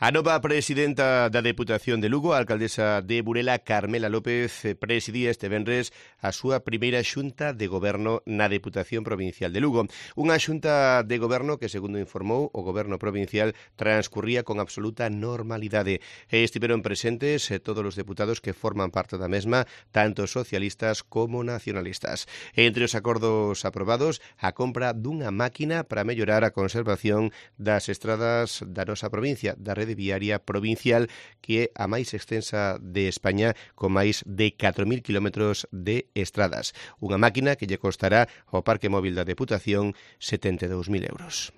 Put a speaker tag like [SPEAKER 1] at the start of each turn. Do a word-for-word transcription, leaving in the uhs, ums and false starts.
[SPEAKER 1] A nova presidenta da Deputación de Lugo, a alcaldesa de Burela, Carmela López, presidía este venres a súa primeira xunta de goberno na Deputación Provincial de Lugo. Unha xunta de goberno que, segundo informou o goberno provincial, transcurría con absoluta normalidade. E estiveron presentes todos os deputados que forman parte da mesma, tanto socialistas como nacionalistas. Entre os acordos aprobados, a compra dunha máquina para mellorar a conservación das estradas da nosa provincia, da rede viaria provincial, que é a máis extensa de España, con máis de catro mil kilómetros de estradas. Unha máquina que lle costará ao Parque Móvil da Deputación setenta e dous mil euros.